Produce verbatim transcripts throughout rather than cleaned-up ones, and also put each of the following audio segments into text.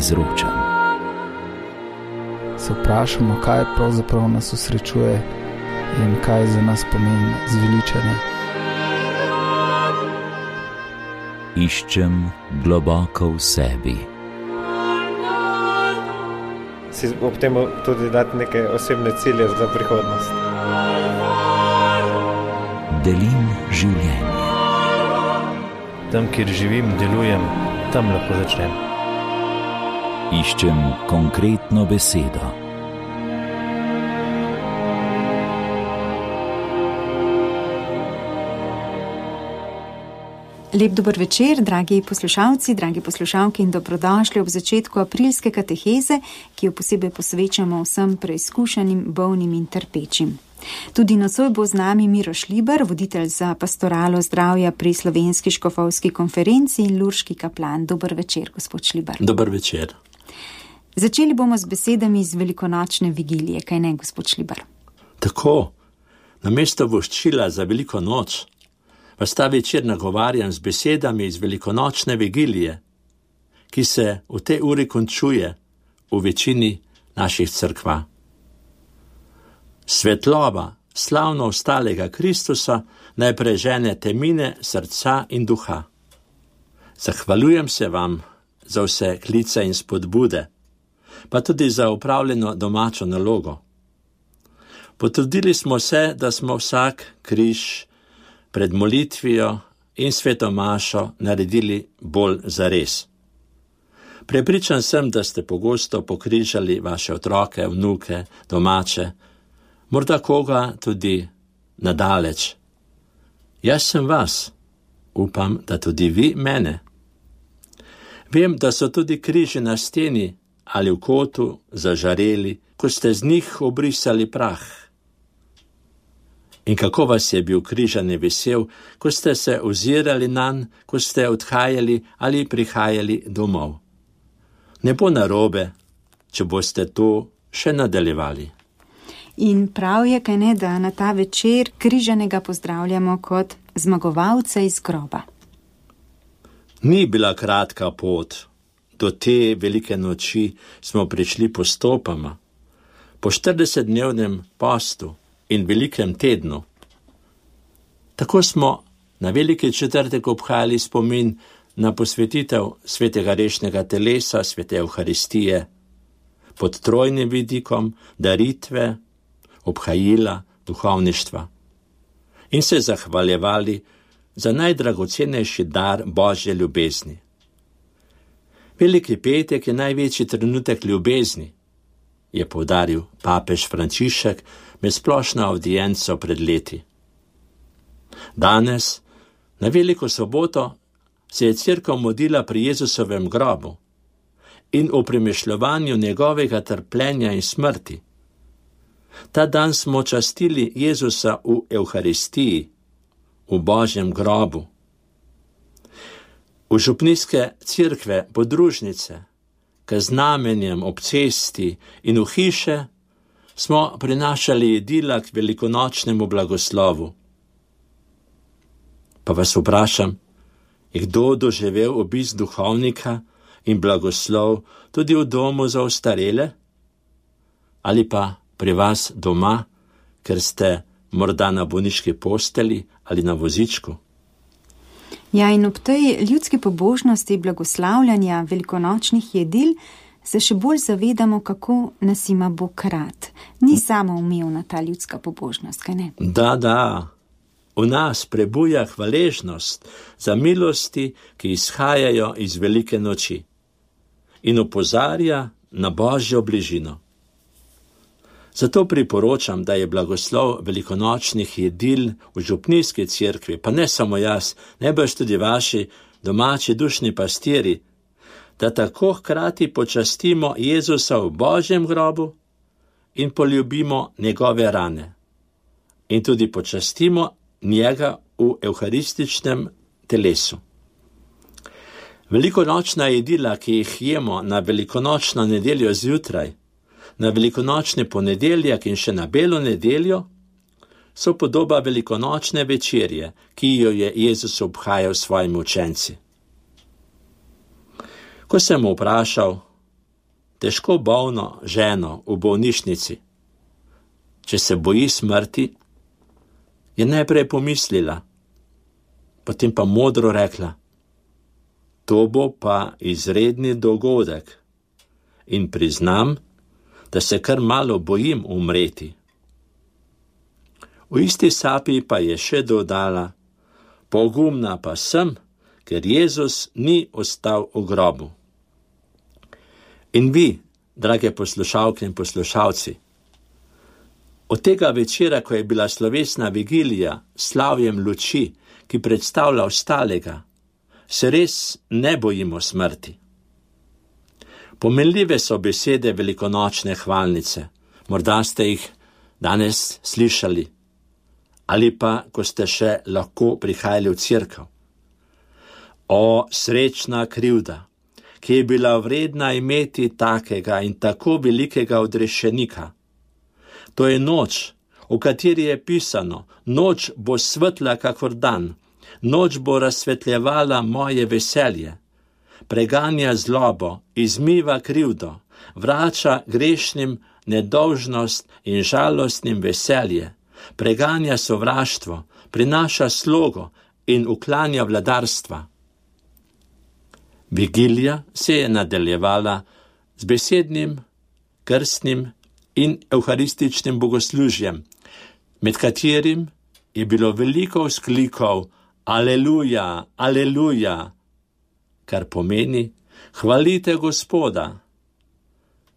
izročam. Se vprašamo, kaj pravzaprav nas osrečuje in kaj za nas pomeni zveličanje. Iščem globoko v sebi. Si ob tem tudi dati neke osebne cilje za prihodnost. Delim življenje. Tam, kjer živim, delujem, tam lahko začnem. Iščem konkretno besedo. Lep dober večer, dragi poslušalci, dragi poslušalke in dobrodošli ob začetku aprilske kateheze, ki jo posebej posvečamo vsem preizkušanim, bolnim in trpečim. Tudi nocoj bo z nami Miro Šlibar, voditelj za pastoralo zdravja pri Slovenski škofovski konferenci in lurški kaplan. Dober večer, gospod Šlibar. Dober večer. Začeli bomo z besedami iz velikonočne vigilije, kaj ne, gospod Šlibar? Tako, namesto voščila za veliko noč, vas ta večer nagovarjam z besedami iz velikonočne vigilije, ki se v tej uri končuje v večini naših cerkva. Svetloba slavno ostalega Kristusa naj prežene temine srca in duha. Zahvaljujem se vam za vse klice in spodbude, pa tudi za upravljeno domačo nalogo. Potrudili smo se, da smo vsak križ pred molitvijo in svetomašo naredili bolj zares. Prepričan sem, da ste pogosto pokrižali vaše otroke, vnuke, domače, morda koga tudi nadaleč. Jaz sem vas, upam, da tudi vi mene. Vem, da so tudi križi na steni ali v kotu zažareli, ko ste z njih obrisali prah. In kako vas je bil križani vesel, ko ste se ozirali nanj, ko ste odhajali ali prihajali domov. Ne bo narobe, če boste to še nadaljevali. In prav je, kaj ne, da na ta večer križanega pozdravljamo kot zmagovalca iz groba. Ni bila kratka pot. Do te velike noči smo prišli postopoma. Po štiridesetdnevnem postu in velikem tednu. Tako smo na veliki četrtek obhajali spomin na posvetitev svetega rešnega telesa, svete Evharistije, pod trojnim vidikom daritve, obhajila, duhovništva in se zahvaljevali za najdragocenejši dar Božje ljubezni. Veliki petek je največji trenutek ljubezni, je poudaril papež Frančišek med splošno avdienco pred leti. Danes, na veliko soboto, se je cerkev modlila pri Jezusovem grobu in o premišljovanju njegovega trpljenja in smrti. Ta dan smo častili Jezusa v Evharistiji, v Božjem grobu. V župnijske cerkve, podružnice, k znamenjem ob cesti in v hiše smo prinašali jedila k velikonočnemu blagoslovu. Pa vas vprašam, je kdo doživel obisk duhovnika in blagoslov tudi v domu za ostarele? Ali pa pri vas doma, ker ste morda na bolniški posteli ali na vozičku? Ja, in ob tej ljudski pobožnosti blagoslavljanja velikonočnih jedil se še bolj zavedamo, kako nas ima Bog rad. Ni samo umevna ta ljudska pobožnost, kaj ne? Da, da. V nas prebuja hvaležnost za milosti, ki izhajajo iz velike noči in opozarja na Božjo bližino. Zato priporočam, da je blagoslov velikonočnih jedil v župnijski cerkvi, pa ne samo jaz, najbrž tudi vaši domači dušni pastiri, da tako hkrati počastimo Jezusa v Božjem grobu in poljubimo njegove rane. In tudi počastimo njega v evharističnem telesu. Velikonočna jedila, ki jih jemo na velikonočno nedeljo zjutraj, na velikonočni ponedeljak in še na belo nedeljo, so podoba velikonočne večerje, ki jo je Jezus obhajal s svojimi učenci. Ko sem vprašal, težko bolno ženo v bolnišnici. Če se boji smrti, je najprej pomislila, potem pa modro rekla: to bo pa izredni dogodek in priznam, da se kar malo bojim umreti. V isti sapi pa je še dodala: pogumna pa sem, ker Jezus ni ostal v grobu. In vi, drage poslušalke in poslušalci, od tega večera, ko je bila slovesna vigilija s slavjem luči, ki predstavlja ostalega, se res ne bojimo smrti. Pomenljive so besede velikonočne hvalnice, morda ste jih danes slišali, ali pa, ko ste še lahko prihajali v cerkev. O, srečna krivda, ki je bila vredna imeti takega in tako velikega odrešenika. To je noč, v kateri je pisano: noč bo svetla kakor dan, noč bo razsvetljevala moje veselje, preganja zlobo, izmiva krivdo, vrača grešnim nedolžnost in žalostnim veselje, preganja sovraštvo, prinaša slogo in uklanja vladarstva. Vigilija se je nadaljevala z besednim, krstnim in evharističnim bogoslužjem, med katerim je bilo veliko vzklikov Aleluja, aleluja, kar pomeni hvalite Gospoda.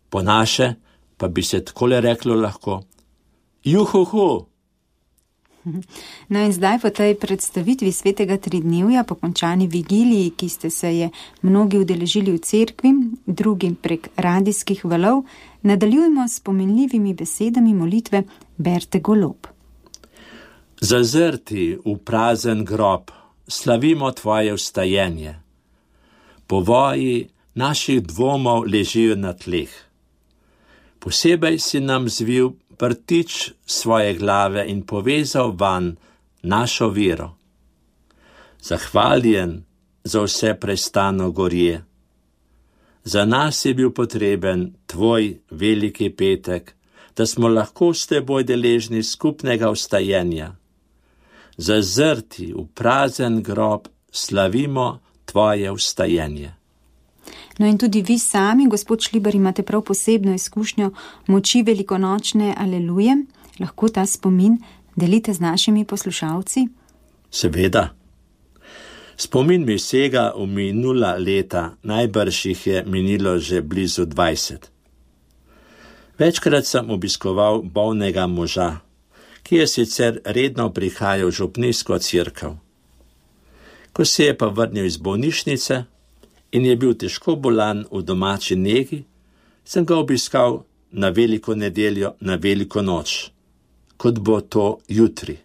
Po naše pa bi se takole reklo lahko: juhuhu. No in zdaj po tej predstavitvi svetega tridnevja, po končani vigiliji, ki ste se je mnogi udeležili v cerkvi, drugi prek radijskih valov, nadaljujemo s pomenljivimi besedami molitve Berte Golob. Zazrti v prazen grob, slavimo tvoje vstajenje. Povoji naših dvomov ležijo na tleh. Posebej si nam zvil prtič svoje glave in povezal van našo vero. Zahvaljen za vse prestano gorje. Za nas je bil potreben tvoj veliki petek, da smo lahko s teboj deležni skupnega vstajenja. Zazrti v prazen grob, slavimo tvoje vstajenje. No in tudi vi sami, gospod Šlibar, imate prav posebno izkušnjo moči velikonočne aleluje. Lahko ta spomin delite z našimi poslušalci? Seveda. Spomin mi sega v minula leta, najbrž jih je minilo že blizu dvajset. Večkrat sem obiskoval bolnega moža, ki je sicer redno prihajal v župnijsko cerkev. Ko se je pa vrnil iz bolnišnice in je bil težko bolan v domači negi, sem ga obiskal na veliko nedeljo, na veliko noč, kot bo to jutri.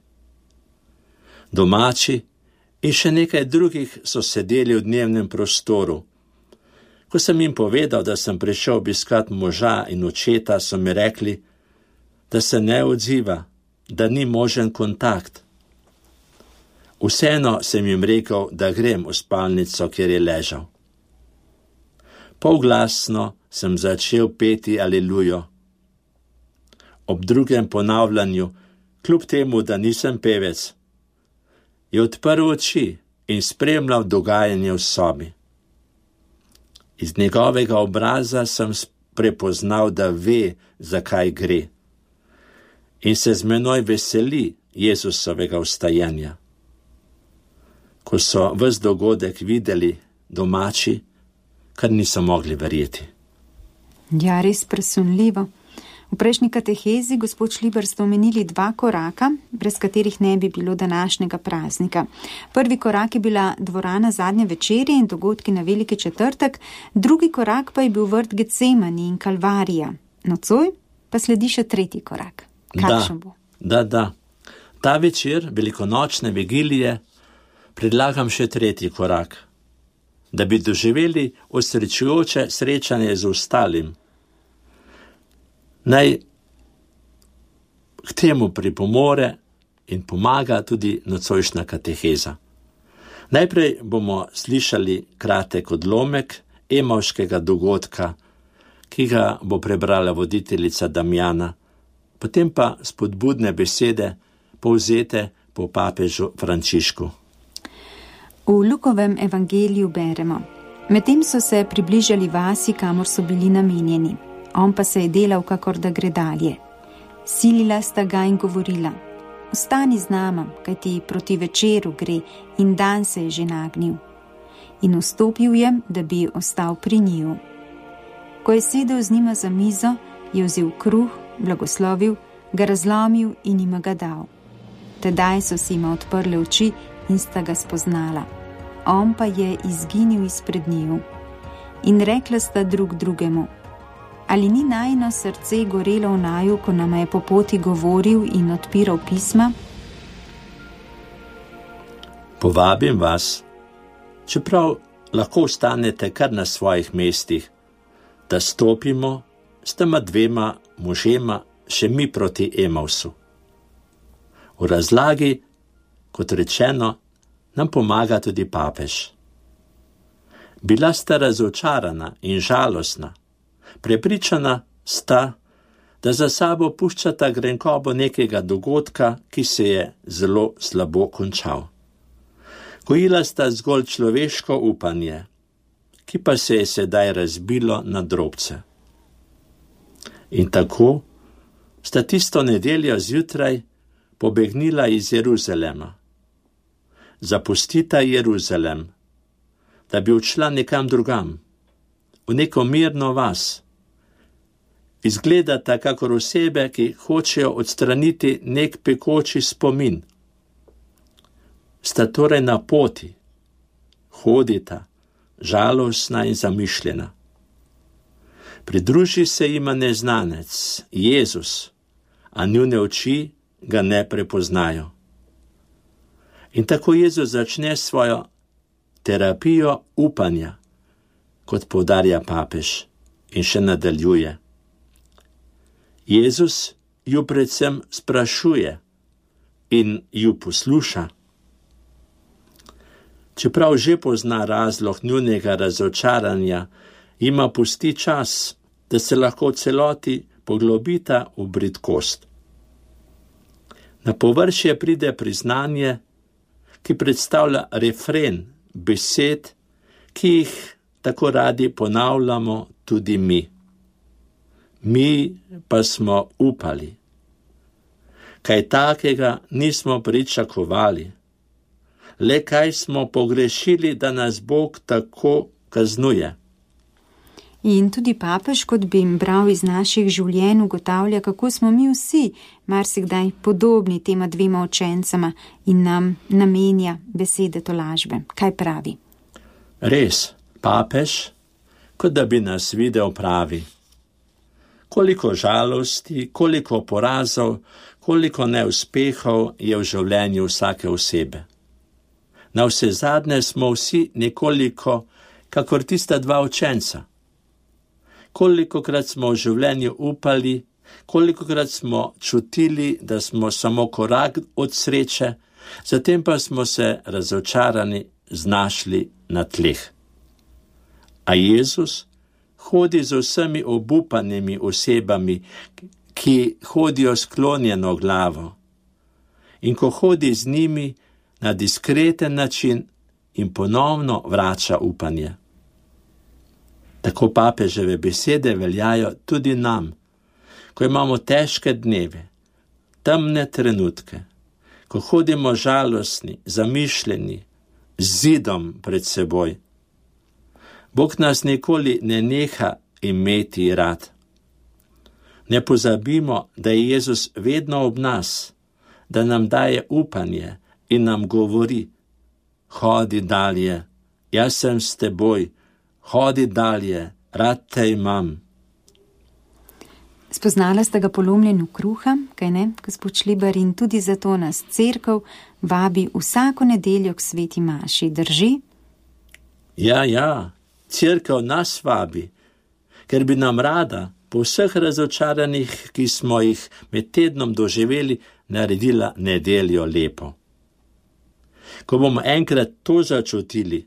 Domači in še nekaj drugih so sedeli v dnevnem prostoru. Ko sem jim povedal, da sem prišel obiskat moža in očeta, so mi rekli, da se ne odziva, da ni možen kontakt. Vseeno sem jim rekel, da grem v spalnico, kjer je ležal. Polglasno sem začel peti alelujo. Ob drugem ponavljanju, kljub temu, da nisem pevec, je odprl oči in spremljal dogajanje v sobi. Iz njegovega obraza sem prepoznal, da ve, zakaj gre, in se z menoj veseli Jezusovega vstajenja. Ko so ves dogodek videli domači, kar niso mogli verjeti. Ja, res presunljivo. V prejšnji katehezi, gospod Šlibar, ste omenili dva koraka, brez katerih ne bi bilo današnjega praznika. Prvi korak je bila dvorana zadnje večerje in dogodki na veliki četrtek, drugi korak pa je bil vrt Getsemani in Kalvarija. Nocoj pa sledi še tretji korak. Kakšen bo? Da, da. Ta večer velikonočne vigilije predlagam še tretji korak, da bi doživeli osrečujoče srečanje z ostalim. Naj k temu pripomore in pomaga tudi nocojšnja kateheza. Najprej bomo slišali kratek odlomek emavškega dogodka, ki ga bo prebrala voditeljica Damjana, potem pa spodbudne besede, povzete po papežu Frančišku. V Lukovem evangeliju beremo: medtem so se približali vasi, kamor so bili namenjeni. On pa se je delal, kakor da gre dalje. Silila sta ga in govorila: ostani z nama, kajti proti večeru gre in dan se je že nagnil. In vstopil je, da bi ostal pri njiju. Ko je sedel z njima za mizo, je vzel kruh, blagoslovil, ga razlomil in jima ga dal. Tedaj so si jima odprle oči in sta ga spoznala. On pa je izginil izpred njiju. In rekla sta drug drugemu: ali ni najino srce gorelo v naju, ko nama je po poti govoril in odpiral pisma? Povabim vas, čeprav lahko ostanete kar na svojih mestih, da stopimo s tema dvema možema še mi proti Emausu. V razlagi, kot rečeno, nam pomaga tudi papež. Bila sta razočarana in žalostna, prepričana sta, da za sabo puščata grenkobo nekega dogodka, ki se je zelo slabo končal. Gojila sta zgolj človeško upanje, ki pa se je sedaj razbilo na drobce. In tako sta tisto nedeljo zjutraj pobegnila iz Jeruzalema. Zapustita Jeruzalem, da bi odšla nekam drugam, v neko mirno vas. Izgledata kakor osebe, ki hočejo odstraniti nek pekoči spomin. Sta torej na poti, hodita, žalostna in zamišljena. Pridruži se jima neznanec, Jezus, a njune oči ga ne prepoznajo. In tako Jezus začne svojo terapijo upanja, kot poudarja papež, in še nadaljuje. Jezus ju predvsem sprašuje in ju posluša. Čeprav že pozna razlog njunega razočaranja, jima pusti čas, da se lahko v celoti poglobita v bridkost. Na površje pride priznanje, ki predstavlja refren besed, ki jih tako radi ponavljamo tudi mi. Mi pa smo upali. Kaj takega nismo pričakovali. Le kaj smo pogrešili, da nas Bog tako kaznuje. In tudi papež, kot bi jim bral iz naših življenj, ugotavlja, kako smo mi vsi marsikdaj podobni tema dvema učencama in nam namenja besede tolažbe. Kaj pravi? Res, papež, kot da bi nas videl, pravi. Koliko žalosti, koliko porazov, koliko neuspehov je v življenju vsake osebe. Na vse zadnje smo vsi nekoliko kakor tista dva učenca. Kolikokrat smo v življenju upali, kolikokrat smo čutili, da smo samo korak od sreče, zatem pa smo se razočarani znašli na tleh. A Jezus hodi z vsemi obupanimi osebami, ki hodijo sklonjeno glavo. In ko hodi z njimi na diskreten način, in ponovno vrača upanje. Tako papeževe besede veljajo tudi nam, ko imamo težke dneve, temne trenutke, ko hodimo žalostni, zamišljeni, z zidom pred seboj. Bog nas nikoli ne neha imeti rad. Ne pozabimo, da je Jezus vedno ob nas, da nam daje upanje in nam govori: hodi dalje, jaz sem s teboj, hodi dalje, rad te imam. Spoznala sta ga polomljenju kruha, kaj ne, gospod Šlibar, in tudi zato nas cerkev vabi vsako nedeljo k sveti maši, drži? Ja, ja, cerkev nas vabi, ker bi nam rada po vseh razočaranjih, ki smo jih med tednom doživeli, naredila nedeljo lepo. Ko bomo enkrat to začutili,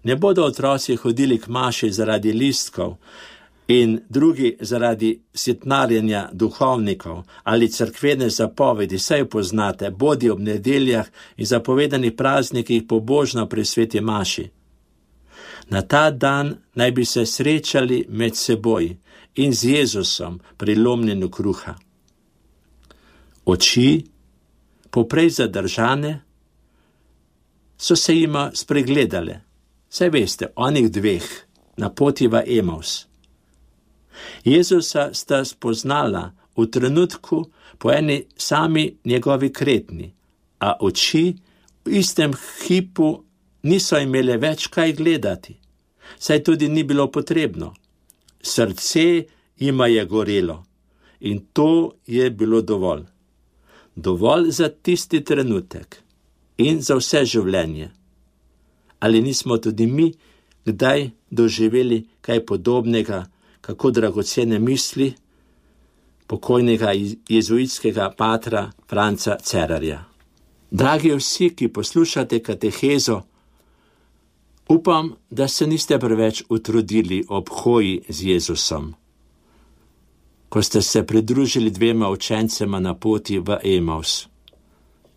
ne bodo otroci hodili k maši zaradi listkov, in drugi zaradi sitnarjenja duhovnikov ali cerkvene zapovedi, saj poznate, bodi ob nedeljah in zapovedanih praznikih pobožno pri sveti maši. Na ta dan naj bi se srečali med seboj in z Jezusom pri lomljenju kruha. Oči, poprej zadržane, so se jima spregledale. Saj veste, onih dveh na poti v Emaus. Jezusa sta spoznala v trenutku po eni sami njegovi kretnji, a oči v istem hipu niso imele več kaj gledati, saj tudi ni bilo potrebno. Srce jima je gorelo in to je bilo dovolj. Dovolj za tisti trenutek in za vse življenje. Ali nismo tudi mi kdaj doživeli kaj podobnega, kako dragocene misli pokojnega jezuitskega patra Franca Cerarja? Dragi vsi, ki poslušate katehezo, upam, da se niste preveč utrudili ob hoji z Jezusom, ko ste se pridružili dvema učencema na poti v Emaus.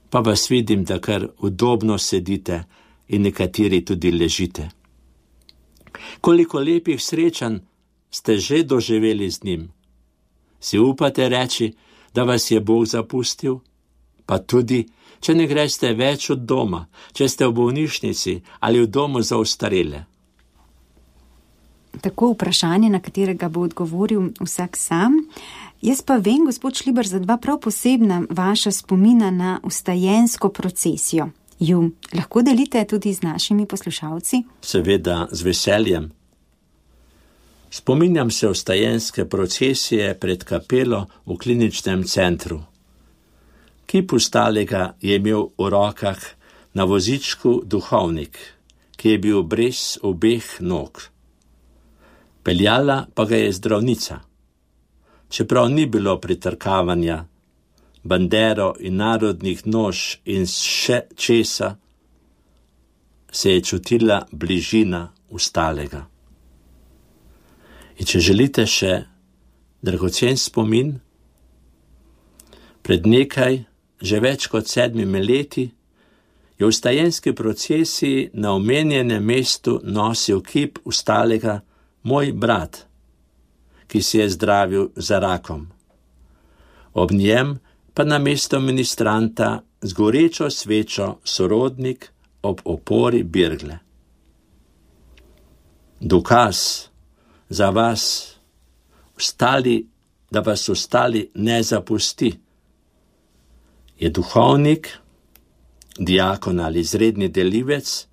Pa vas vidim, da kar udobno sedite in nekateri tudi ležite. Koliko lepih srečanj ste že doživeli z njim? Si upate reči, da vas je Bog zapustil? Pa tudi, če ne greste več od doma, če ste v bolnišnici ali v domu za ostarele. Tako vprašanje, na katerega bo odgovoril vsak sam. Jaz pa vem, gospod Šlibar, za dva prav posebna vaša spomina na vstajensko procesijo. Ju lahko delite tudi z našimi poslušalci? Seveda, z veseljem. Spominjam se vstajenske procesije pred kapelo v kliničnem centru. Kip Vstalega je imel v rokah na vozičku duhovnik, ki je bil brez obeh nog. Peljala pa ga je zdravnica. Čeprav ni bilo pritrkavanja, bandero in narodnih nož in še česa, se je čutila bližina Vstalega. In če želite še dragocen spomin, pred nekaj, že več kot sedmimi leti, je v vstajenski procesiji na omenjenem mestu nosil kip Vstalega moj brat, ki si je zdravil za rakom. Ob njem pa na mesto ministranta z gorečo svečo sorodnik ob opori birgle. Dokaz za vas, vstali, da vas ostali ne zapusti, je duhovnik, diakon ali izredni delivec,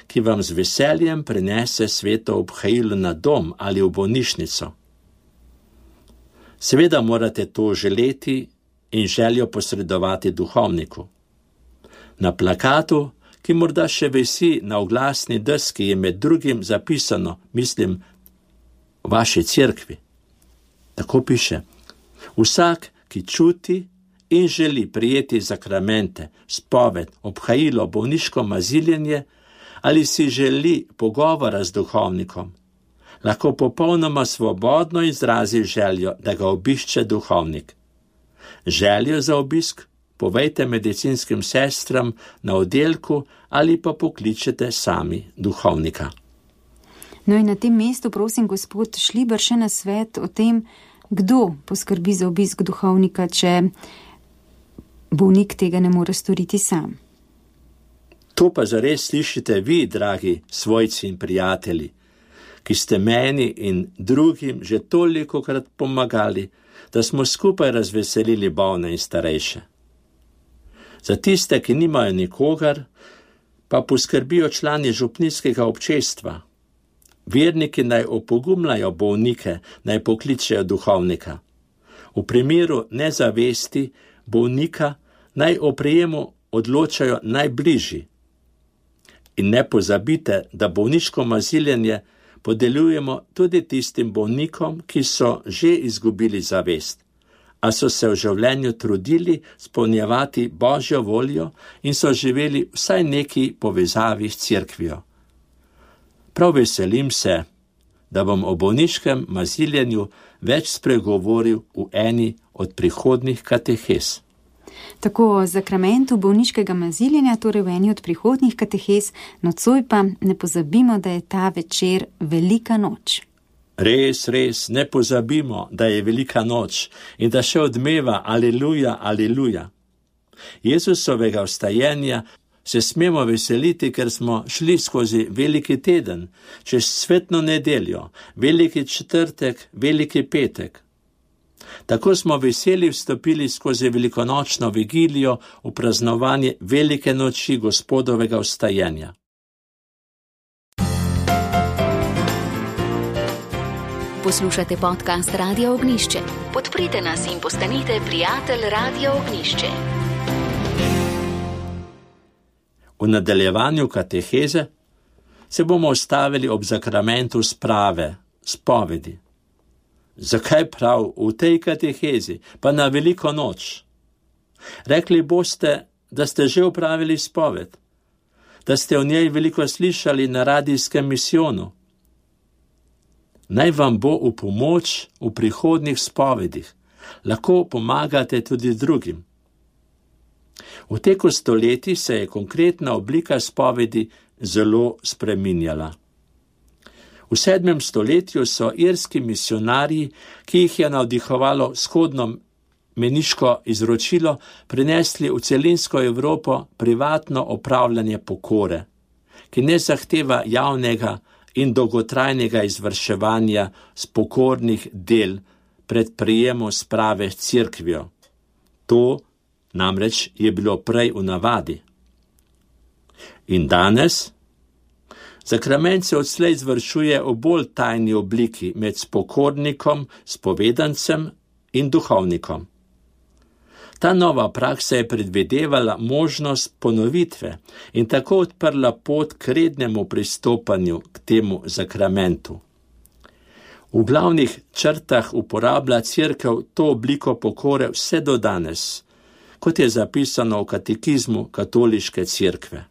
ki vam z veseljem prinese sveto obhajilo na dom ali v bolnišnico. Seveda morate to želeti in željo posredovati duhovniku. Na plakatu, ki morda še visi na oglasni deski, je med drugim zapisano, mislim, v vaši cerkvi. Tako piše: vsak, ki čuti in želi prijeti zakramente, spoved, obhajilo, bolniško maziljenje ali si želi pogovora z duhovnikom, lahko popolnoma svobodno izrazi željo, da ga obišče duhovnik. Željo za obisk povejte medicinskim sestram na oddelku ali pa pokličete sami duhovnika. No in na tem mestu prosim gospod Šlibar še na svet o tem, kdo poskrbi za obisk duhovnika, če bolnik tega ne more storiti sam. To pa zares slišite vi, dragi svojci in prijatelji, ki ste meni in drugim že tolikokrat pomagali, da smo skupaj razveselili bolne in starejše. Za tiste, ki nimajo nikogar, pa poskrbijo člani župnijskega občestva. Verniki naj opogumljajo bolnike, naj pokličejo duhovnika. V primeru nezavesti bolnika naj o prijemu odločajo najbližji. In ne pozabite, da bolniško maziljenje podeljujemo tudi tistim bolnikom, ki so že izgubili zavest, a so se v življenju trudili spolnjevati Božjo voljo in so živeli vsaj neki povezavi s cerkvijo. Prav veselim se, da bom o bolniškem maziljenju več spregovoril v eni od prihodnjih katehez. Tako o zakramentu bolniškega maziljenja, torej v eni od prihodnjih katehez, nocoj pa ne pozabimo, da je ta večer velika noč. Res, res, ne pozabimo, da je velika noč in da še odmeva aleluja, aleluja. Jezusovega vstajenja se smemo veseliti, ker smo šli skozi veliki teden, čez svetno nedeljo, veliki četrtek, veliki petek. Tako smo veseli vstopili skozi velikonočno vigilijo v praznovanje velike noči Gospodovega vstajenja. Poslušate podcast Radio Ognjišče. Podprite nas in postanite prijatelj Radio Ognjišče. V nadaljevanju kateheze se bomo ustavili ob zakramentu sprave, spovedi. Zakaj prav v tej katehezi, pa na veliko noč? Rekli boste, da ste že opravili spoved, da ste o njej veliko slišali na radijskem misijonu. Naj vam bo v pomoč v prihodnjih spovedih, lahko pomagate tudi drugim. V teku stoletij se je konkretna oblika spovedi zelo spreminjala. V sedmem stoletju so irski misionarji, ki jih je navdihovalo vzhodno meniško izročilo, prinesli v celinsko Evropo privatno opravljanje pokore, ki ne zahteva javnega in dolgotrajnega izvrševanja spokornih del pred prijemom sprave s cerkvijo. To namreč je bilo prej v navadi. In danes zakrament se odslej izvršuje v bolj tajni obliki med spokornikom, spovedancem in duhovnikom. Ta nova praksa je predvidevala možnost ponovitve in tako odprla pot k rednemu pristopanju k temu zakramentu. V glavnih črtah uporablja cerkev to obliko pokore vse do danes, kot je zapisano v katekizmu katoliške cerkve.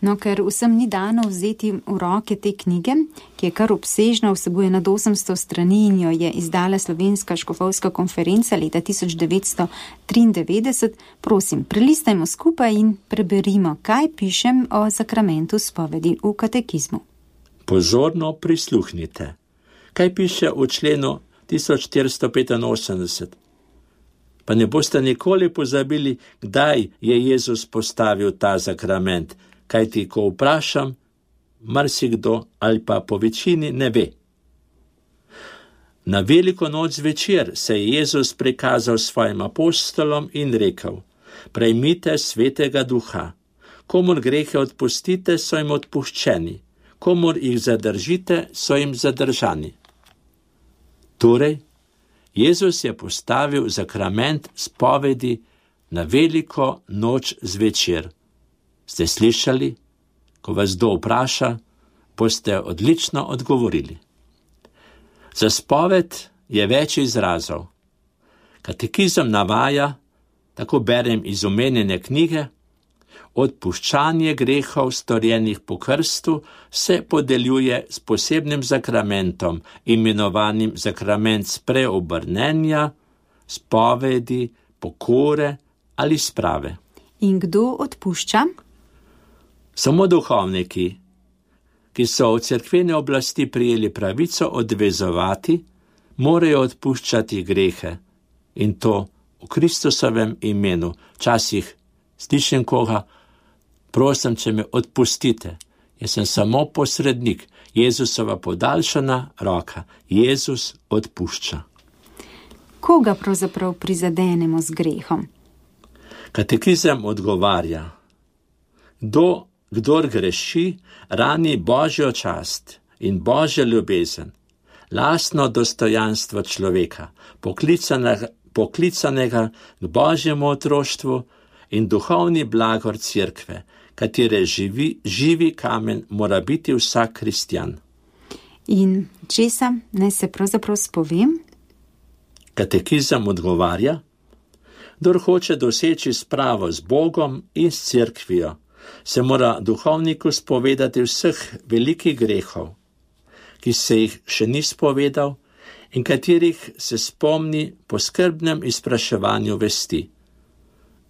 No, ker vsem ni dano vzeti v roke te knjige, ki je kar obsežna, vsebuje nad osemsto strani in jo je izdala Slovenska škofovska konferenca leta tisoč devetsto triindevetdeset, prosim, prelistajmo skupaj in preberimo, kaj pišem o zakramentu spovedi v katekizmu. Pozorno prisluhnite. Kaj piše v členu tisoč štiristo petinosemdeset? Pa ne boste nikoli pozabili, kdaj je Jezus postavil ta zakrament, kajti ko vprašam, marsikdo ali pa po večini ne ve. Na veliko noč zvečer se je Jezus prikazal svojim apostolom in rekel: prejmite svetega duha, komur grehe odpustite, so jim odpuščeni, komur jih zadržite, so jim zadržani. Torej, Jezus je postavil zakrament spovedi na veliko noč zvečer. Ste slišali? Ko vas kdo vpraša, boste odlično odgovorili. Za spoved je več izrazov. Katekizem navaja, tako berem iz omenjene knjige, odpuščanje grehov storjenih po krstu se podeljuje s posebnim zakramentom, imenovanim zakrament spreobrnenja, spovedi, pokore ali sprave. In kdo odpušča? Samo duhovniki, ki so od cerkvene oblasti prijeli pravico odvezovati, morajo odpuščati grehe, in to v Kristusovem imenu. Včasih slišim koga: prosim, če me odpustite, jaz sem samo posrednik, Jezusova podaljšana roka. Jezus odpušča. Koga pravzaprav prizadenemo z grehom? Katekizem odgovarja: Kdo, kdor greši, rani Božjo čast in Božjo ljubezen, lastno dostojanstvo človeka, poklicanega, poklicanega k Božjemu otroštvu in duhovni blagor cerkve, katere živi, živi kamen mora biti vsak kristjan. In česa naj se pravzaprav spovem? Katekizem odgovarja: kdor hoče doseči spravo z Bogom in s cerkvijo, se mora duhovniku spovedati vseh velikih grehov, ki se jih še ni spovedal in katerih se spomni po skrbnem izpraševanju vesti.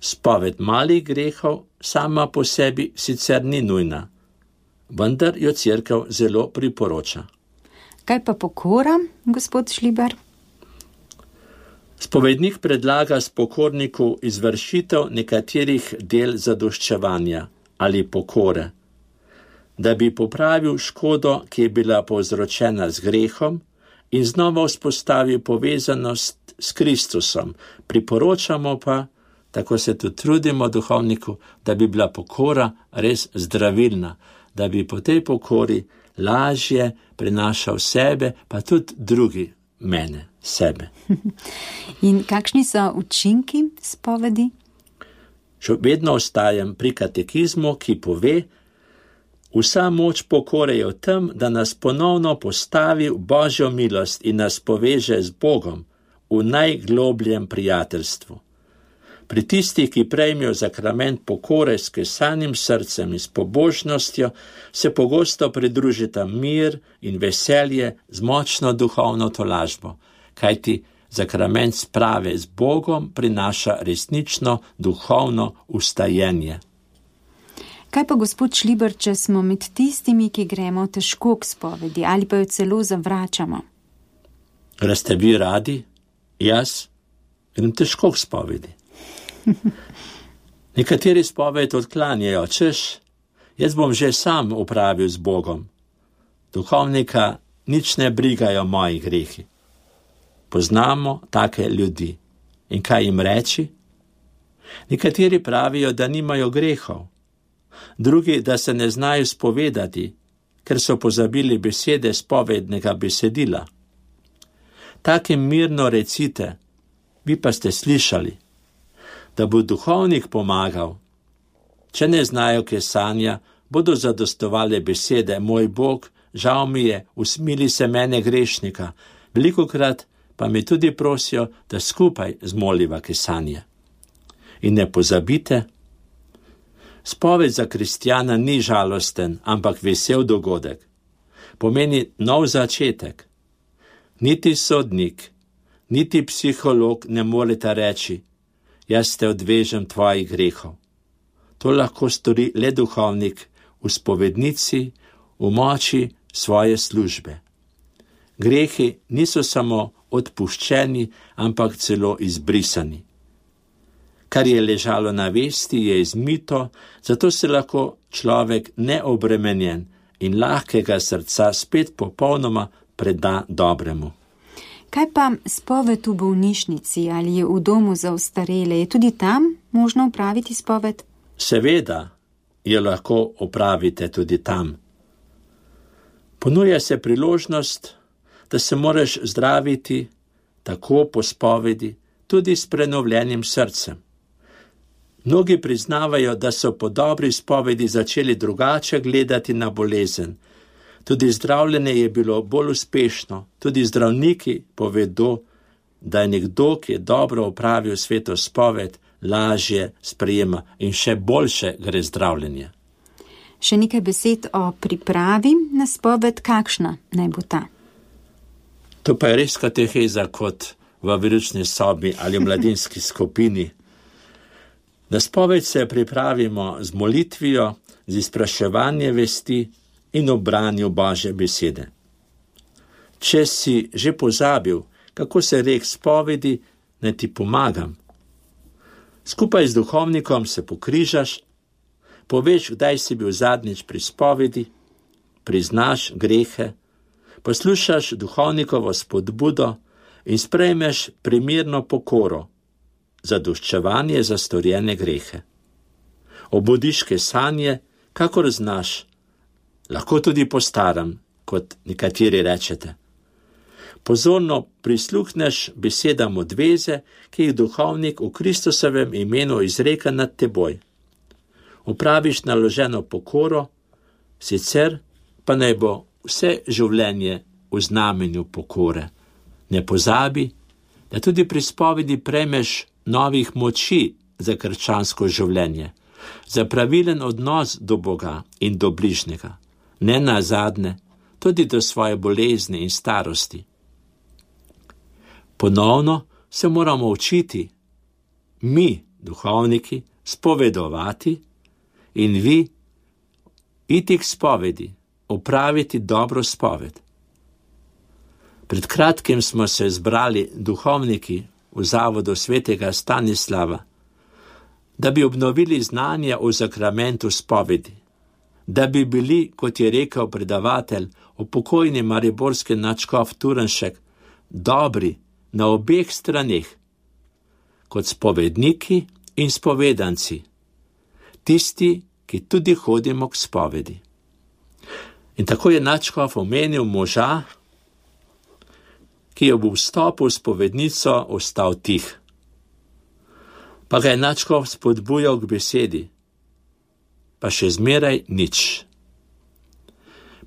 Spoved malih grehov sama po sebi sicer ni nujna, vendar jo cerkev zelo priporoča. Kaj pa pokora, gospod Šlibar? Spovednik predlaga spokorniku izvršitev nekaterih del zadoščevanja ali pokore, da bi popravil škodo, ki je bila povzročena z grehom in znova vzpostavil povezanost s Kristusom. Priporočamo pa, tako se tudi trudimo duhovniku, da bi bila pokora res zdravilna, da bi po tej pokori lažje prenašal sebe, pa tudi drugi mene, sebe. In kakšni so učinki spovedi? Še vedno ostajam pri katekizmu, ki pove, vsa moč pokore je v tem, da nas ponovno postavi v Božjo milost in nas poveže z Bogom v najglobljem prijateljstvu. Pri tistih, ki prejmejo zakrament pokore s kesanim srcem in s pobožnostjo, se pogosto pridružita mir in veselje z močno duhovno tolažbo, kajti zakrament sprave z Bogom prinaša resnično duhovno ustajenje. Kaj pa, gospod Šlibar, če smo med tistimi, ki gremo težko k spovedi ali pa jo celo zavračamo? Greste vi radi? Jaz grem težko k spovedi. Nekateri spoved odklanjajo, češ, jaz bom že sam upravil z Bogom. Duhovnika nič ne brigajo moji grehi. Poznamo take ljudi. In kaj jim reči? Nekateri pravijo, da nimajo grehov, drugi, da se ne znajo spovedati, ker so pozabili besede spovednega besedila. Takim mirno recite, vi pa ste slišali, da bo duhovnik pomagal. Če ne znajo kesanja, bodo zadostovale besede, moj Bog, žal mi je, usmili se mene grešnika, velikokrat pa mi tudi prosijo, da skupaj zmoliva kesanje. In ne pozabite, spoved za kristjana ni žalosten, ampak vesel dogodek. Pomeni nov začetek. Niti sodnik, niti psiholog ne moreta reči, jaz te odvežem tvojih grehov. To lahko stori le duhovnik v spovednici, v moči svoje službe. Grehi niso samo odpuščeni, ampak celo izbrisani. Kar je ležalo na vesti, je izmito, zato se lahko človek neobremenjen in lahkega srca spet popolnoma preda dobremu. Kaj pa spoved v bolnišnici ali v domu za ostarele? Je tudi tam možno opraviti spoved? Seveda jo lahko opravite tudi tam. Ponuja se priložnost, da se moraš zdraviti tako po spovedi, tudi s prenovljenim srcem. Mnogi priznavajo, da so po dobri spovedi začeli drugače gledati na bolezen. Tudi zdravljenje je bilo bolj uspešno. Tudi zdravniki povedo, da je nekdo, ki je dobro opravil sveto spoved, lažje sprejema in še boljše gre zdravljenje. Še nekaj besed o pripravi na spoved, kakšna naj bo ta? To pa je res kateheza kot v veručni sobi ali v mladinski skupini. Na spoved se pripravimo z molitvijo, z izpraševanjem vesti in obranju Božje besede. Če si že pozabil, kako se rek spovedi, naj ti pomagam. Skupaj z duhovnikom se pokrižaš, poveš, kdaj si bil zadnjič pri spovedi, priznaš grehe, poslušaš duhovnikovo spodbudo in sprejmeš primirno pokoro, zadoščevanje za storjene grehe. Obudiš kesanje, kakor znaš, lahko tudi postaram, kot nekateri rečete. Pozorno prisluhneš besedam odveze, ki jih duhovnik v Kristusovem imenu izreka nad teboj. Upraviš naloženo pokoro, sicer pa naj bo vse življenje v znamenju pokore. Ne pozabi, da tudi pri spovedi prejmeš novih moči za krščansko življenje, za pravilen odnos do Boga in do bližnjega. Ne nazadnje, tudi do svoje bolezni in starosti. Ponovno se moramo učiti, mi, duhovniki, spovedovati in vi iti k spovedi, opraviti dobro spoved. Pred kratkim smo se zbrali duhovniki v zavodu svetega Stanislava, da bi obnovili znanje o zakramentu spovedi, da bi bili, kot je rekel predavatelj, upokojni mariborski nadškof Turnšek, dobri na obeh straneh, kot spovedniki in spovedanci, tisti, ki tudi hodimo k spovedi. In tako je nadškof omenil moža, ki je ob vstopu v spovednico ostal tih. Pa ga je nadškof spodbujal k besedi, pa še zmeraj nič.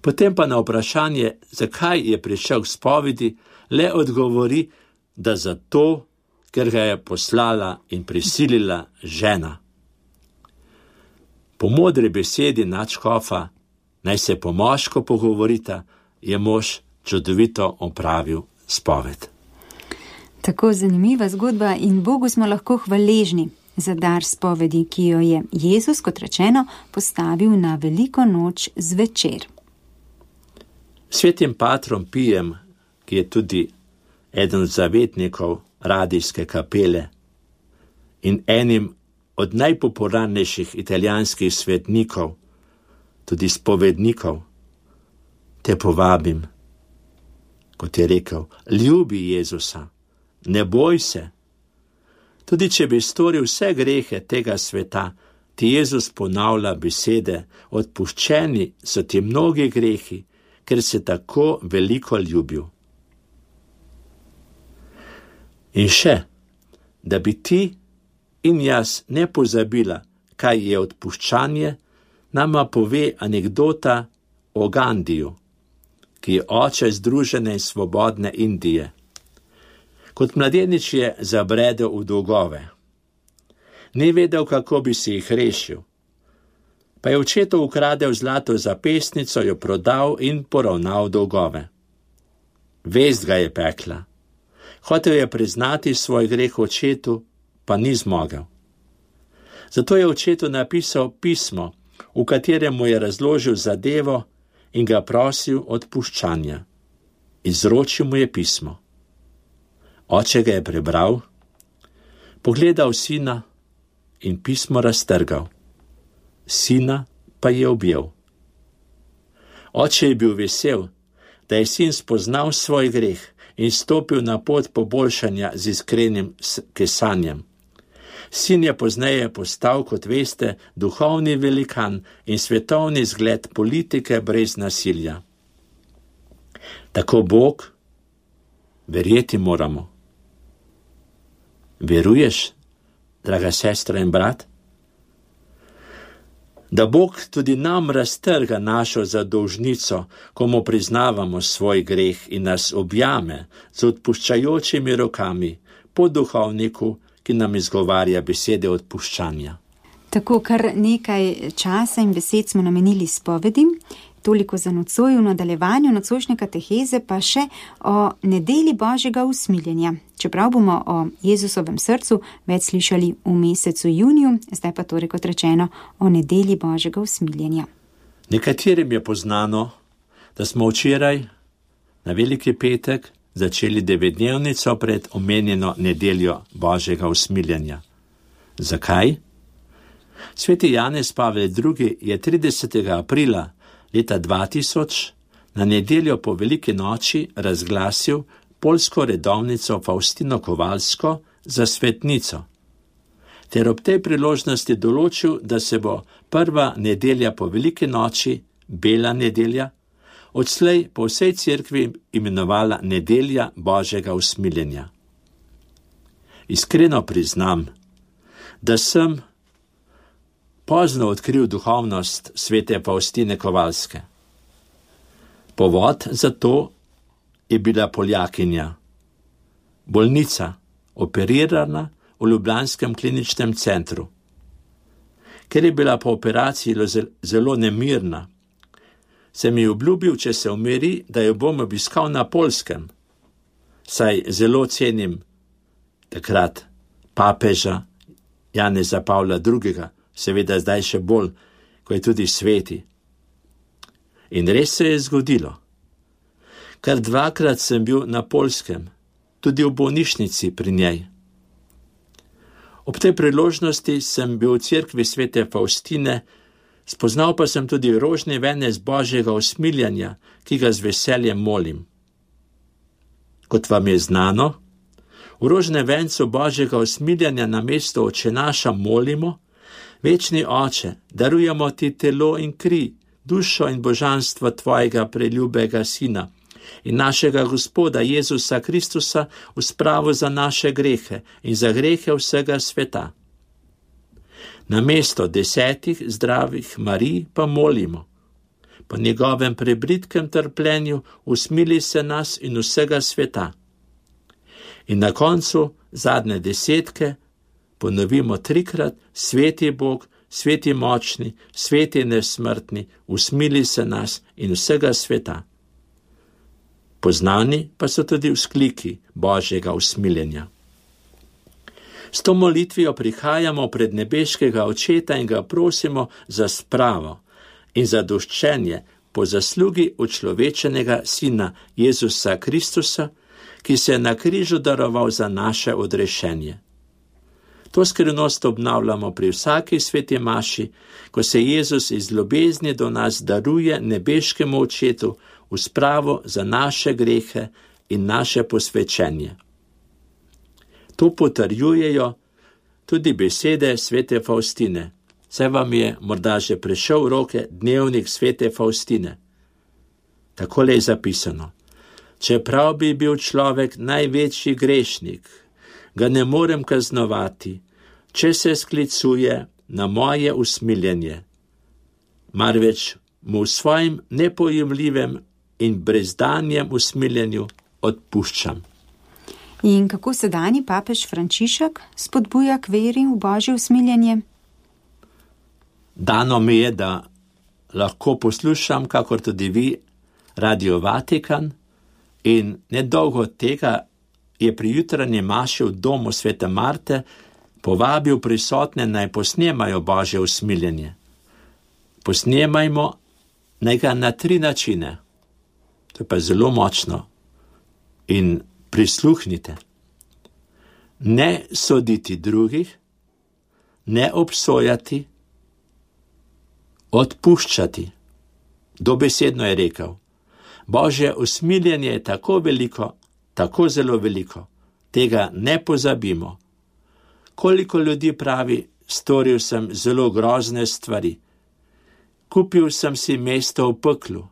Potem pa na vprašanje, zakaj je prišel k spovedi, le odgovori, da zato, ker ga je poslala in prisilila žena. Po modri besedi nadškofa, naj se po moško pogovorita, je mož čudovito opravil spoved. Tako zanimiva zgodba in Bogu smo lahko hvaležni za dar spovedi, ki jo je Jezus, kot rečeno, postavil na veliko noč zvečer. Svetim patrom Pijem, ki je tudi eden od zavetnikov radijske kapele in enim od najpopularnejših italijanskih svetnikov, tudi spovednikov, te povabim, kot je rekel, ljubi Jezusa, ne boj se. Tudi če bi storil vse grehe tega sveta, ti Jezus ponavlja besede, odpuščeni so ti mnogi grehi, ker se tako veliko ljubil. In še, da bi ti in jaz ne pozabila, kaj je odpuščanje, nama pove anekdota o Gandiju, ki je oče združene in svobodne Indije. Kot mladenič je zabredel v dolgove. Ni vedel, kako bi si jih rešil. Pa je očetu ukradel zlato zapestnico, jo prodal in poravnal dolgove. Vest ga je pekla. Hotel je priznati svoj greh očetu, pa ni zmogel. Zato je očetu napisal pismo, v katerem mu je razložil zadevo in ga prosil odpuščanja. Izročil mu je pismo. Oče ga je prebral, pogledal sina in pismo raztrgal. Sina pa je objel. Oče je bil vesel, da je sin spoznal svoj greh in stopil na pot poboljšanja z iskrenim kesanjem. Sin je pozneje postal, kot veste, duhovni velikan in svetovni zgled politike brez nasilja. Tako Bog, verjeti moramo. Veruješ, draga sestra in brat? Da Bog tudi nam raztrga našo zadolžnico, ko mu priznavamo svoj greh in nas objame z odpuščajočimi rokami po duhovniku, ki nam izgovarja besede odpuščanja. Tako kar nekaj časa in besed smo namenili spovedi, toliko za nocoj, v nadaljevanju nocojšnje kateheze pa še o nedeli Božjega usmiljenja. Čeprav bomo o Jezusovem srcu več slišali v mesecu juniju, zdaj pa torej, kot rečeno, o nedeli Božjega usmiljenja. Nekaterim je poznano, da smo včeraj na Veliki petek začeli devetdnevnico pred omenjeno nedeljo Božjega usmiljenja. Zakaj? Sveti Janez Pavel drugi. je tridesetega aprila leta dva tisoč na nedeljo po Veliki noči razglasil poljsko redovnico Faustino Kowalsko za svetnico, ter ob tej priložnosti določil, da se bo prva nedelja po Veliki noči, bela nedelja, odslej po vsej cerkvi imenovala nedelja Božjega usmiljenja. Iskreno priznam, da sem pozno odkril duhovnost svete Faustine Kowalske. Povod za to je bila Poljakinja, bolnica, operirana v ljubljanskem kliničnem centru. Ker je bila po operaciji zelo nemirna, sem ji obljubil, če se umiri, da jo bom obiskal na Poljskem. Saj zelo cenim takrat papeža Janeza Pavla drugega, seveda zdaj še bolj, ko je tudi sveti. In res se je zgodilo. Kar dvakrat sem bil na Poljskem, tudi v bolnišnici pri njej. Ob tej priložnosti sem bil v cerkvi svete Faustine, spoznal pa sem tudi rožni venec Božjega usmiljanja, ki ga z veseljem molim. Kot vam je znano, v rožne vencu Božjega usmiljanja na mesto Oče naša molimo: Večni Oče, darujemo ti telo in kri, dušo in božanstvo tvojega preljubega Sina in našega Gospoda Jezusa Kristusa v spravo za naše grehe in za grehe vsega sveta. Na mesto desetih zdravih Marij pa molimo: po njegovem prebritkem trpljenju usmili se nas in vsega sveta. In na koncu zadnje desetke ponovimo trikrat: Sveti Bog, sveti močni, sveti nesmrtni, usmili se nas in vsega sveta. Poznani pa so tudi vzkliki Božjega usmiljenja. S to molitvijo prihajamo pred nebeškega Očeta in ga prosimo za spravo in zadoščenje po zaslugi učlovečenega Sina Jezusa Kristusa, ki se je na križu daroval za naše odrešenje. To skrivnost obnavljamo pri vsaki sveti maši, ko se Jezus iz ljubezni do nas daruje nebeškemu Očetu v spravo za naše grehe in naše posvečenje. To potrjujejo tudi besede svete Faustine. Saj vam je morda že prišel v roke dnevnik svete Faustine. Takole je zapisano: čeprav bi bil človek največji grešnik, ga ne morem kaznovati, če se sklicuje na moje usmiljenje, marveč mu v svojem nepojemljivem in brezdanjem usmiljenju odpuščam. In kako sedanji papež Frančišek spodbuja k veri v Božje usmiljenje? Dano mi je, da lahko poslušam, kakor tudi vi, Radio Vatikan, in nedolgo od tega je pri jutranji maši v domu svete Marte povabil prisotne, naj posnemajo Božje usmiljenje. Posnemajmo naj ga na tri načine. To je pa zelo močno. In prisluhnite. Ne soditi drugih, ne obsojati, odpuščati. Dobesedno je rekel: Božje usmiljenje je tako veliko, tako zelo veliko, tega ne pozabimo. Koliko ljudi pravi: storil sem zelo grozne stvari, kupil sem si mesto v peklu,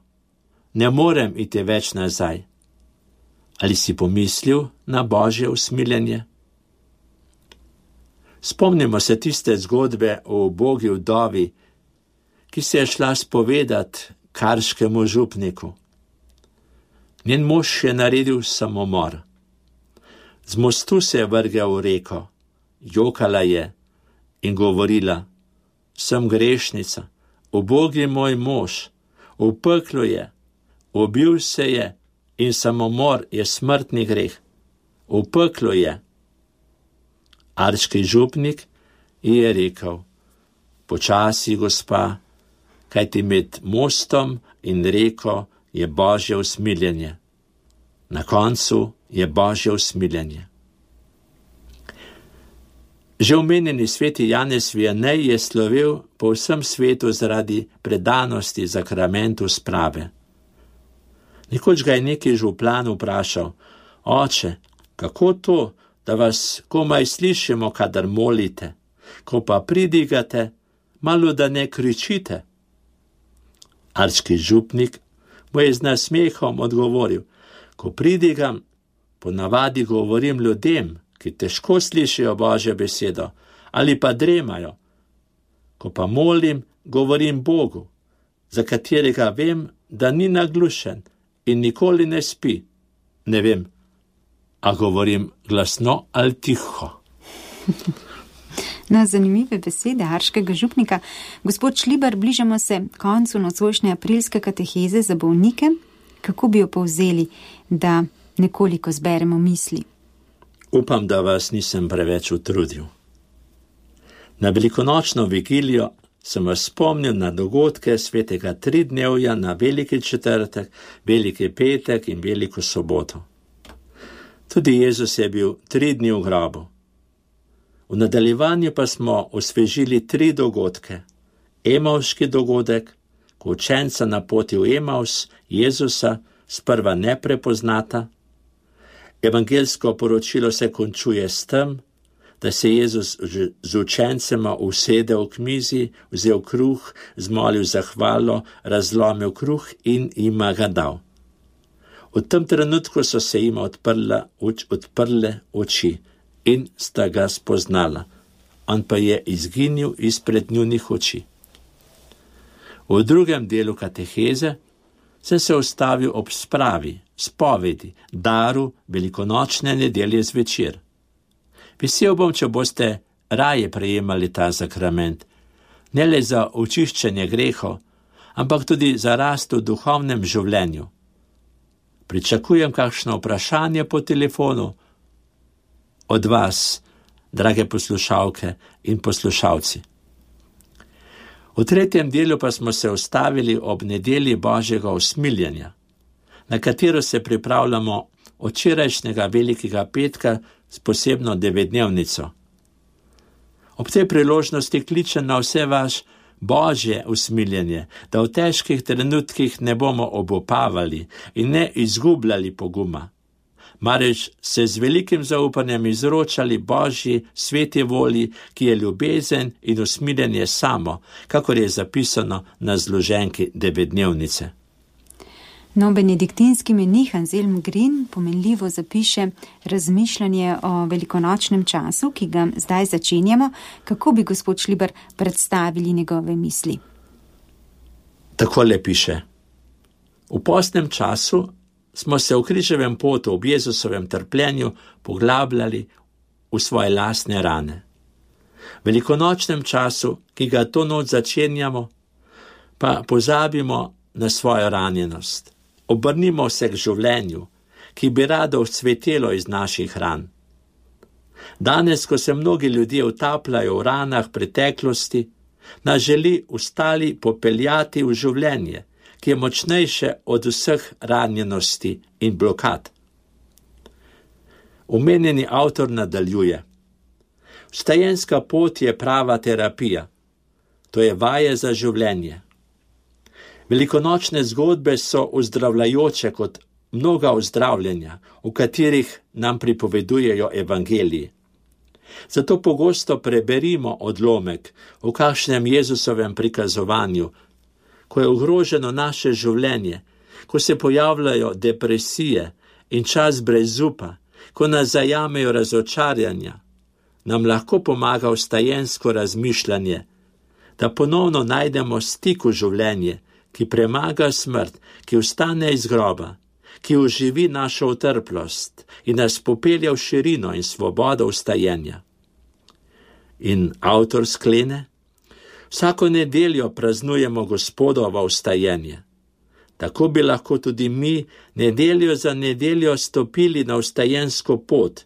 ne morem iti več nazaj. Ali si pomislil na Božje usmiljenje? Spomnimo se tiste zgodbe o ubogi vdovi, ki se je šla spovedat karškemu župniku. Njen mož je naredil samomor. Z mostu se je vrgel v reko, jokala je in govorila: sem grešnica, ubogi moj mož, v peklu je, ubil se je in samomor je smrtni greh. V peklu je. Arški župnik je rekel: počasi, gospa, kajti med mostom in reko je Božje usmiljenje. Na koncu je Božje usmiljenje. Že omenjeni sveti Janez Vianney je slovel po vsem svetu zaradi predanosti zakramentu sprave. Nekoč ga je neki župan vprašal: oče, kako to, da vas komaj slišimo, kadar molite, ko pa pridigate, malo da ne kričite? Arški župnik mu je z nasmehom odgovoril: ko pridigam, ponavadi govorim ljudem, ki težko slišijo Božjo besedo ali pa dremajo. Ko pa molim, govorim Bogu, za katerega vem, da ni naglušen in nikoli ne spi. Ne vem, a govorim glasno ali tiho. Na zanimive besede arškega župnika. Gospod Šlibar, bližamo se koncu nocojšnje aprilske kateheze za bolnike. Kako bi jo povzeli, da nekoliko zberemo misli? Upam, da vas nisem preveč utrudil. Na velikonočno vigilijo sem vas spomnil na dogodke svetega tridnevja na veliki četrtek, veliki petek in veliko soboto. Tudi Jezus je bil tri dni v grobu. V nadaljevanju pa smo osvežili tri dogodke. Emavški dogodek, ko učenca na poti v Emaus Jezusa sprva ne prepoznata. Evangelsko poročilo se končuje s tem, da se Jezus z učencema usedel k mizi, vzel kruh, zmolil zahvalo, razlomil kruh in jima ga dal. V tem trenutku so se jima odprla, uč, odprle oči in sta ga spoznala. On pa je izginil izpred njunih oči. V drugem delu kateheze sem se ustavil ob spravi, spovedi, daru velikonočne nedelje zvečer. Vesel bom, če boste raje prejemali ta sakrament, ne le za očiščenje grehov, ampak tudi za rast v duhovnem življenju. Pričakujem kakšno vprašanje po telefonu od vas, drage poslušalke in poslušalci. V tretjem delu pa smo se ustavili ob nedelji Božjega usmiljenja, na katero se pripravljamo od včerajšnjega velikega petka s posebno devetdnevnico. Ob tej priložnosti kličem na vse vaš Božje usmiljenje, da v težkih trenutkih ne bomo obupavali in ne izgubljali poguma, marveč se z velikim zaupanjem izročali Božji sveti volji, ki je ljubezen in usmiljenje samo, kakor je zapisano na zloženki devetdnevnice. No, benediktinski menih Anselm Green pomenljivo zapiše razmišljanje o velikonočnem času, ki ga zdaj začenjamo. Kako bi gospod Šlibar predstavili njegove misli? Takole piše. V postnem času smo se v križevem potu ob Jezusovem trpljenju poglabljali v svoje lastne rane. V velikonočnem času, ki ga to noč začenjamo, pa pozabimo na svojo ranjenost. Obrnimo se k življenju, ki bi rado vzcvetelo iz naših ran. Danes, ko se mnogi ljudje utapljajo v ranah preteklosti, nas želi ostali popeljati v življenje, ki je močnejše od vseh ranjenosti in blokad. Omenjeni avtor nadaljuje. Vstajenska pot je prava terapija, to je vaje za življenje. Velikonočne zgodbe so ozdravljajoče kot mnoga ozdravljenja, v katerih nam pripovedujejo evangeliji. Zato pogosto preberimo odlomek v kakšnem Jezusovem prikazovanju, ko je ogroženo naše življenje, ko se pojavljajo depresije in čas brez upa, ko nas zajamejo razočarjanja, nam lahko pomaga vstajensko razmišljanje, da ponovno najdemo stik v življenje, ki premaga smrt, ki vstane iz groba, ki oživi našo utrplost in nas popelje v širino in svobodo vstajenja. In avtor sklene, vsako nedeljo praznujemo Gospodovo vstajenje. Tako bi lahko tudi mi nedeljo za nedeljo stopili na vstajensko pot,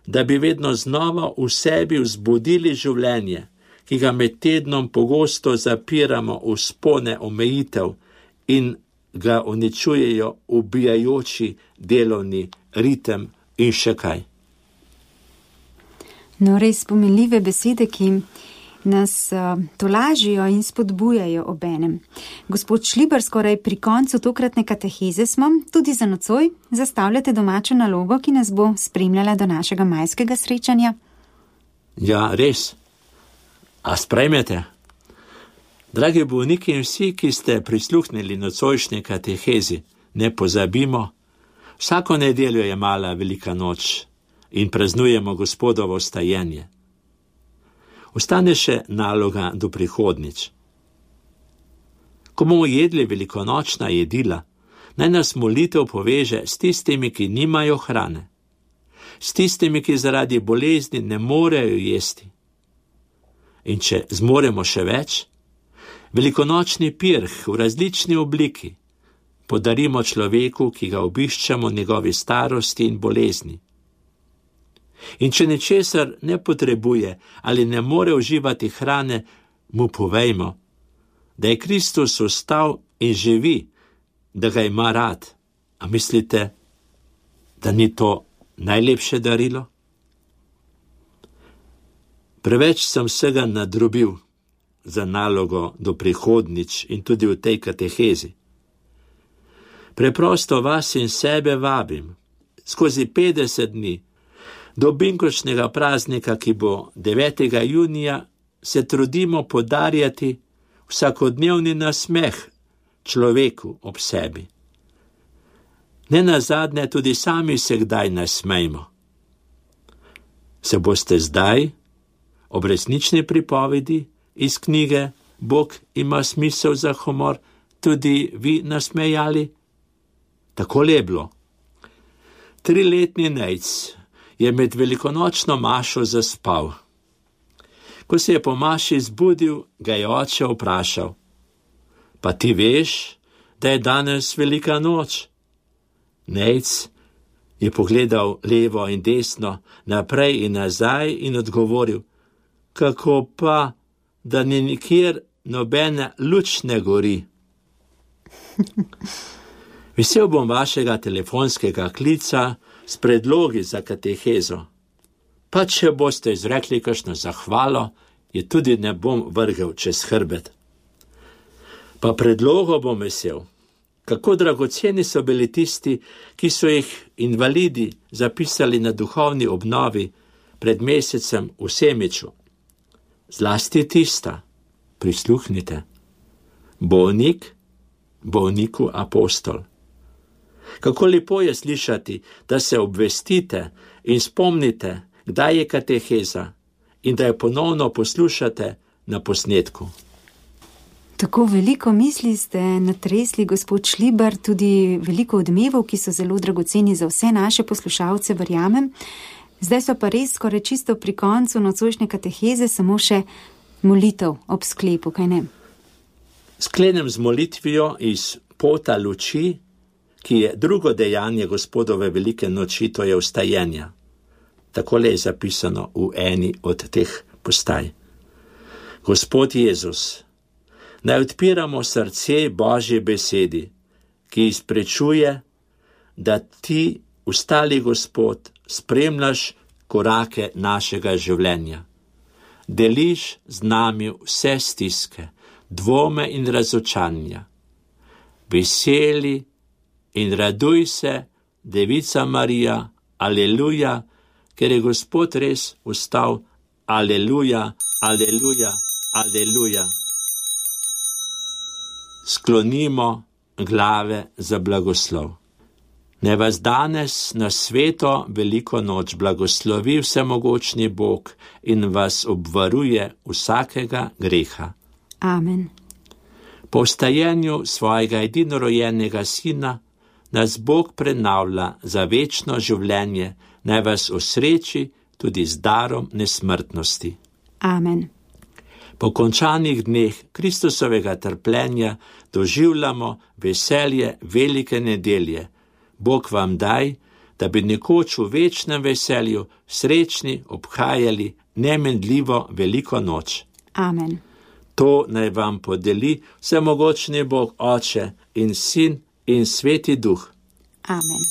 da bi vedno znova v sebi vzbudili življenje, ki ga med tednom pogosto zapiramo v spone omejitev in ga uničujejo ubijajoči delovni ritem in še kaj. No, res pomenljive besede, ki nas uh, tolažijo in spodbujajo obenem. Gospod Šlibar, skoraj pri koncu tokratne kateheze smo, tudi za nocoj zastavljate domačo nalogo, ki nas bo spremljala do našega majskega srečanja. Ja, res. A sprejmete? Dragi bolniki in vsi, ki ste prisluhnili nocojšnji katehezi, ne pozabimo, vsako nedeljo je mala velika noč in praznujemo Gospodovo vstajenje. Ostane še naloga do prihodnič. Ko bomo jedli velikonočna jedila, naj nas molitev poveže s tistimi, ki nimajo hrane, s tistimi, ki zaradi bolezni ne morejo jesti. in če zmoremo še več, velikonočni pirh v različni obliki podarimo človeku, ki ga obiščemo njegovi starosti in bolezni. In če ničesar ne potrebuje ali ne more uživati hrane, mu povejmo, da je Kristus vstal in živi, da ga ima rad. A mislite, da ni to najlepše darilo? Preveč sem vsega nadrobil za nalogo do prihodnič in tudi v tej katehezi. Preprosto vas in sebe vabim skozi petdeset dni do binkočnega praznika, ki bo devetega junija, se trudimo podarjati vsakodnevni nasmeh človeku ob sebi. Nenazadnje tudi sami se kdaj nasmejmo. Se boste zdaj ob resnični pripovedi iz knjige Bog ima smisel za humor tudi vi nasmejali? Takole je bilo. Triletni Nejc je med velikonočno mašo zaspal. Ko se je po maši zbudil, ga je oče vprašal: Pa ti veš, da je danes velika noč? Nejc je pogledal levo in desno, naprej in nazaj in odgovoril: Kako pa, da ni nikjer nobene luč ne gori? Vesel bom vašega telefonskega klica s predlogi za katehezo. Pa če boste izrekli kakšno zahvalo, je tudi ne bom vrgel čez hrbet. Pa predlogo bom vesel, kako dragoceni so bili tisti, ki so jih invalidi zapisali na duhovni obnovi pred mesecem v Semiču. Zlasti tista, prisluhnite, bolnik, bolniku apostol. Kako lepo je slišati, da se obvestite in spomnite, kdaj je kateheza in da jo ponovno poslušate na posnetku. Tako veliko misli ste natresli, gospod Šlibar, tudi veliko odmevov, ki so zelo dragoceni za vse naše poslušalce, verjamem. Zdaj so pa res skoraj čisto pri koncu nocojšnje kateheze, samo še molitev ob sklepu, kaj ne? Sklenem z molitvijo iz pota luči, ki je drugo dejanje Gospodove velike noči, to je vstajenja. Takole je zapisano v eni od teh postaj. Gospod Jezus, naj odpiramo srce Božje besedi, ki izprečuje, da ti, vstali Gospod, spremljaš korake našega življenja. Deliš z nami vse stiske, dvome in razočanja. Veseli in raduj se, Devica Marija, aleluja, ker je Gospod res vstal, aleluja, aleluja, aleluja. Sklonimo glave za blagoslov. Ne vas danes na sveto veliko noč blagoslovi vsemogočni Bog in vas obvaruje vsakega greha. Amen. Po vstajenju svojega edinorojenega sina nas Bog prenavlja za večno življenje, naj vas osreči tudi z darom nesmrtnosti. Amen. Po končanih dneh Kristusovega trpljenja doživljamo veselje velike nedelje. Bog vam daj, da bi nekoč v večnem veselju srečni obhajali nemenljivo veliko noč. Amen. To naj vam podeli vsemogočni Bog Oče in Sin in Sveti Duh. Amen.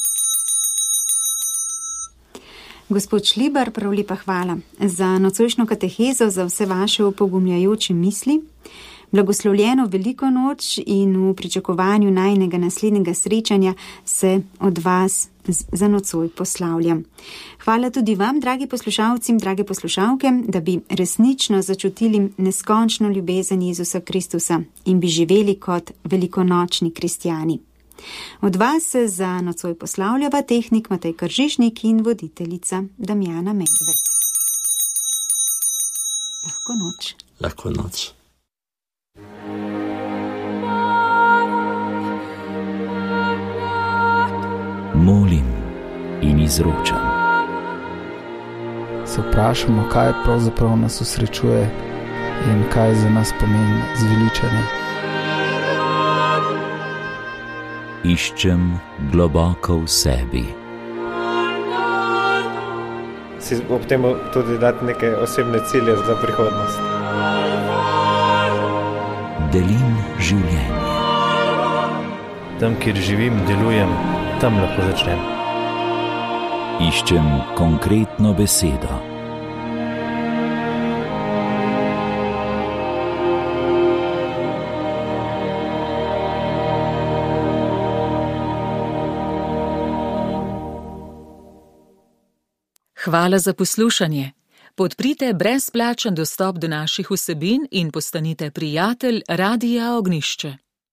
Gospod Šlibar, prav lepa hvala za nocojšnjo katehezo, za vse vaše opogumljajoče misli. Blagoslovljeno veliko noč in v pričakovanju najnega naslednjega srečanja se od vas za nocoj poslavljam. Hvala tudi vam, dragi poslušalci, drage poslušalke, da bi resnično začutili neskončno ljubezen Jezusa Kristusa in bi živeli kot velikonočni kristjani. Od vas se za nocoj poslavljava tehnik Matej Kržišnik in voditeljica Damjana Medved. Lahko noč. Lahko noč. Molim in izročam. Se vprašamo, kaj pravzaprav nas osrečuje in kaj za nas pomeni zveličanje. Iščem globoko v sebi. Si ob tem tudi dati neke osebne cilje za prihodnost. Delim življenje. Tam, kjer živim, delujem, tam lahko začnem. Iščem konkretno besedo. Hvala za poslušanje. Podprite brezplačen dostop do naših vsebin in postanite prijatelj Radia Ognišče.